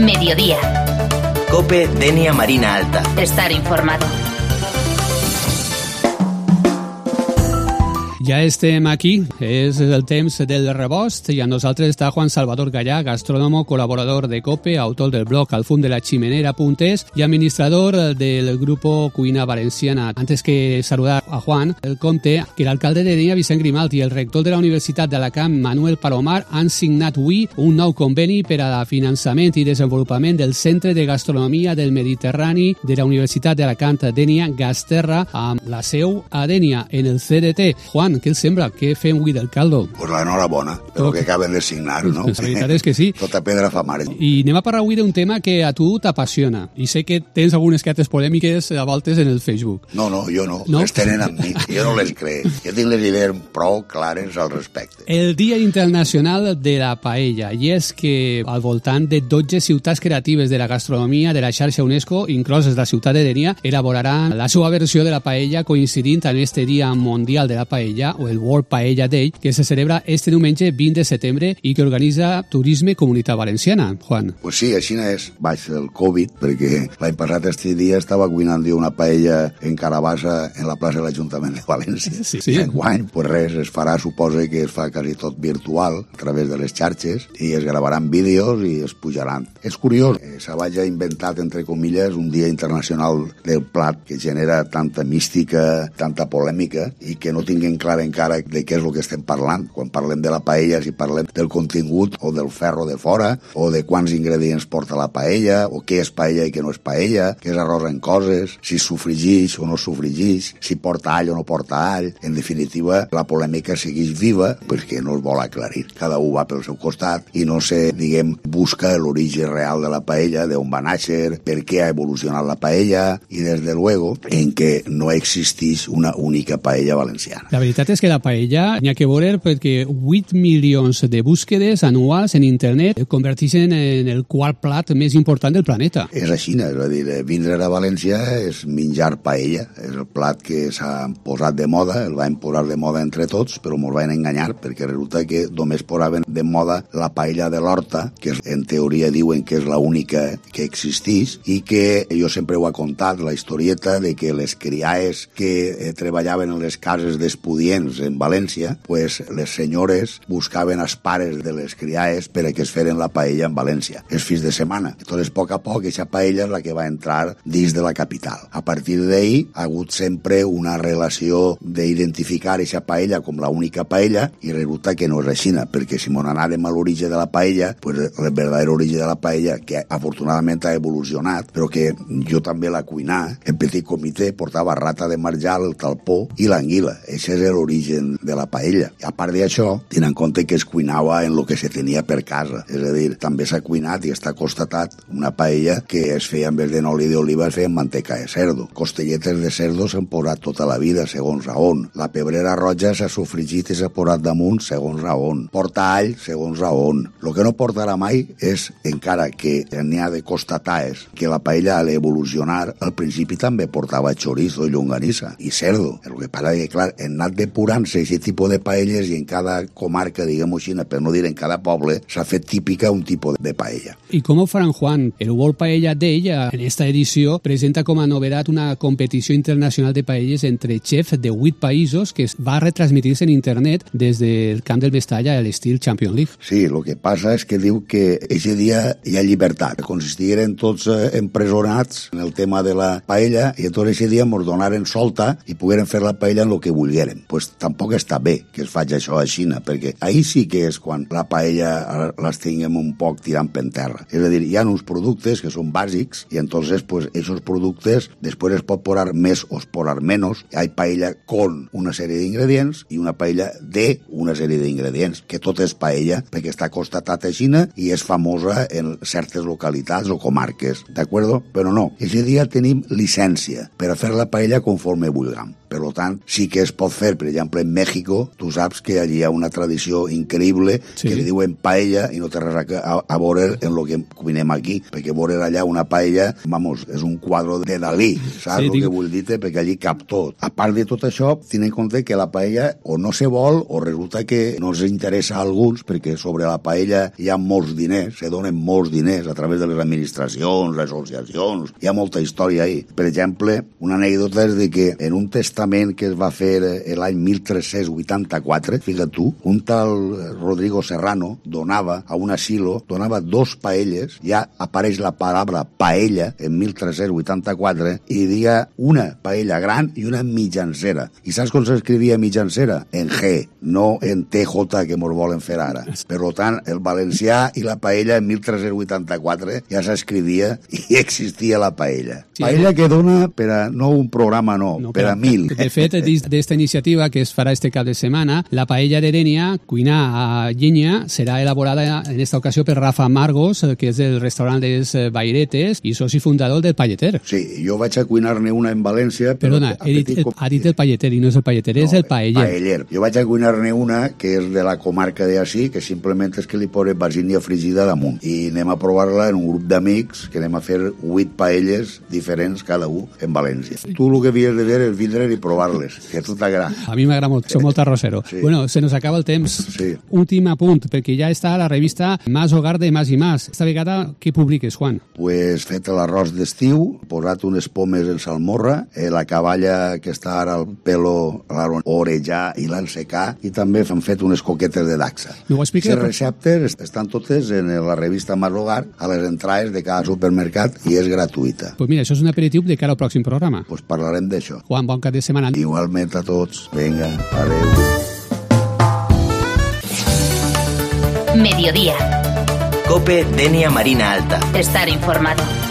Mediodía. COPE Denia Marina Alta. Estar informado. Ja estem aquí, és el temps del rebost i amb nosaltres està Juan Salvador Gallà, gastrónomo, colaborador de COPE, autor del blog alfumdelachimenera.es y administrador del grupo Cuina Valenciana. Antes que saludar a Juan, el compte que l'alcalde de Denia, Vicent Grimalt, i el rector de la Universitat d'Alacant, Manuel Palomar, han signat avui un nou conveni per a finançament i desenvolupament del Centre de Gastronomia del Mediterrani de la Universitat d'Alacant, Denia Gasterra, amb la seu a Denia, en el CDT. Juan, què els sembla? Què fem avui del caldo? Pues l'enhorabona, pel que acaben de signar, no? La veritat és que sí. Tota pedra fa mare. I anem a parlar avui d'un tema que a tu t'apassiona. I sé que tens algunes cartes polèmiques a voltes en el Facebook. No, jo no. Les tenen amb mi. Jo no les crec. Jo tinc les idees prou clares al respecte. El Dia Internacional de la Paella. I és que al voltant de 12 ciutats creatives de la gastronomia de la xarxa UNESCO, incloses la ciutat de Denia, elaboraran la seva versió de la paella coincidint amb este Dia Mundial de la Paella, o el World Paella Day, que se celebra este diumenge 20 de setembre i que organitza Turisme Comunitat Valenciana. Juan. Pues sí, així és, baix del Covid, perquè l'any passat este dia estava cuinant jo una paella en Carabassa en la plaça de l'Ajuntament de València. Sí. Enguany, pues res, es farà, suposa que es fa quasi tot virtual, a través de les xarxes, i es gravaran vídeos i es pujaran. És curiós, se vagi inventat, entre comilles, un dia internacional del plat que genera tanta mística, tanta polèmica, i que no tinguin clar encara de què és el que estem parlant. Quan parlem de la paella, si parlem del contingut o del ferro de fora, o de quants ingredients porta la paella, o què és paella i què no és paella, què és arròs en coses, si sofregix o no sofregix, si porta all o no porta all. En definitiva, la polèmica segueix viva perquè no es vol aclarir. Cada un va pel seu costat i no se, busca l'origen real de la paella, d'on va néixer, per què ha evolucionat la paella, i des de luego en què no existeix una única paella valenciana. La veritat és que la paella n'hi ha que veure perquè 8 milions de búsquedes anuals en internet el converteixen en el quart plat més important del planeta. És així, és a dir, vindre a València és menjar paella, és el plat que s'ha posat de moda, el van posar de moda entre tots, però ens van enganyar perquè resulta que només posaven de moda la paella de l'Horta, que en teoria diuen que és l'única que existeix, i que jo sempre ho he contat, la historieta de que les criaes que treballaven en les cases d'estudiants en València, pues les senyores buscaven els pares de les criaes per a que es feren la paella en València, els fins de setmana. Entonces, a poc a poc, aquesta paella és la que va entrar dins de la capital. A partir d'ahí, ha hagut sempre una relació d'identificar aquesta paella com l'única paella, i resulta que no és així, perquè si m'on anàrem a l'origen de la paella, pues el verdadero origen de la paella, que afortunadament ha evolucionat, però que jo també la cuinar, en petit comitè portava rata de marjal, el talpó i l'anguila. Això és l'origen de la paella. I a part d'això, tenint en compte que es cuinava en el que se tenia per casa. És a dir, també s'ha cuinat i està constatat una paella que es feia en vez d'oli d'oliva, es feia amb manteca de cerdo. Costelletes de cerdo s'han posat tota la vida, segons a on. La pebrera roja s'ha sofregit i s'ha posat damunt, segons a on. Porta all, segons a on. El que no portarà mai és, encara que n'hi ha de constatar, és que la paella al evolucionar, al principi també portava chorizo i llonganissa i cerdo. El que passa és que, clar, han anat depurant-se aquest tipus de paelles i en cada comarca, diguem-ho així, per no dir en cada poble, s'ha fet típica un tipus de paella. ¿Y cómo faran, Juan? El World Paella Day, en esta edición, presenta com a novedad una competició internacional de paelles entre chefs de 8 països que va a retransmitir-se en internet des del Camp del Mestalla a l'estil Champions League. Sí, el que passa és que diu que aquest dia hi ha llibertat. Consistigueren tots empresonats en el tema de la paella i tot aquest dia ens donaren solta i pogueren fer la paella en el que volgueren. Pues tampoc està bé que es faci això a Xina, perquè ahir sí que és quan la paella les tinguem un poc tirant per terra. És a dir, hi ha uns productes que són bàsics i entonces, pues, esos productes després es pot posar més o es posar menys. Hi ha paella con una sèrie d'ingredients i una paella de una sèrie d'ingredients, que tot és paella perquè està constatat a Xina i és famosa en certes localitats o comarques, d'acord? Però no, aquest dia tenim llicència per a fer la paella conforme vulguem. Per tant, sí que es pot fer, per exemple, en Mèxico, tu saps que allí hi ha una tradició increïble que li diuen paella i no té res a veure en el que cuinem aquí, perquè veure allà una paella, vamos, és un quadre de Dalí, saps el que vull dir? Perquè allí cap tot. A part de tot això, tenint en compte que la paella o no se vol o resulta que no els interessa a alguns, perquè sobre la paella hi ha molts diners, se donen molts diners a través de les administracions, les associacions, hi ha molta història ahí. Per exemple, una anècdota és de que en un testament que es va fer l'any 1384, fíjate tu, un tal Rodrigo Serrano donava a un asilo, donava 2 paelles, ja apareix la paraula paella en 1384 i diga una paella gran i una mitjancera. I saps com s'escrivia mitjancera? En G, no en TJ que mos volen fer ara. Per tant, el valencià i la paella en 1384 ja s'escrivia i existia la paella. Sí, paella que dona per a no un programa, no per a 1000. De fet, dins d'esta iniciativa que es farà este cap de setmana, la paella de Dénia, cuinar a llenya, serà elaborada en esta ocasió per Rafa Margos, que és del restaurant Les Bairetes i soci fundador del Palleter. Sí, jo vaig a cuinar-ne una en València. Perdona, ha dit el Palleter i no és el Palleter, és el paeller. Paeller. Jo vaig a cuinar-ne una que és de la comarca d'Ací, que simplement és que li posa basília fregida damunt. I anem a provar-la en un grup d'amics, que anem a fer 8 paelles diferents cada un en València. Tu el que havies de fer és vindre i provar-les, que a tu t'agrada. A mi m'agrada molt, soc molt arrossero. Sí. Bueno, se nos acaba el temps. Sí. Últim apunt, perquè ja està a la revista Más Hogar de Más i Más. Esta vegada, què publiques, Juan? Pues fet l'arròs d'estiu, posat unes pomes en salmorra, la cavalla que està ara al pelo l'han orejar i l'han secar, i també han fet unes coquetes de dacsa. Les receptes estan totes en la revista Más Hogar, a les entrades de cada supermercat, i és gratuïta. Pues mira, això és un aperitiu de cara al pròxim programa. Pues parlarem d'això. Juan, bon cap de setmana. Igualment a tots. Vinga, adeu. Mediodía. COPE Denia Marina Alta. Estar informado.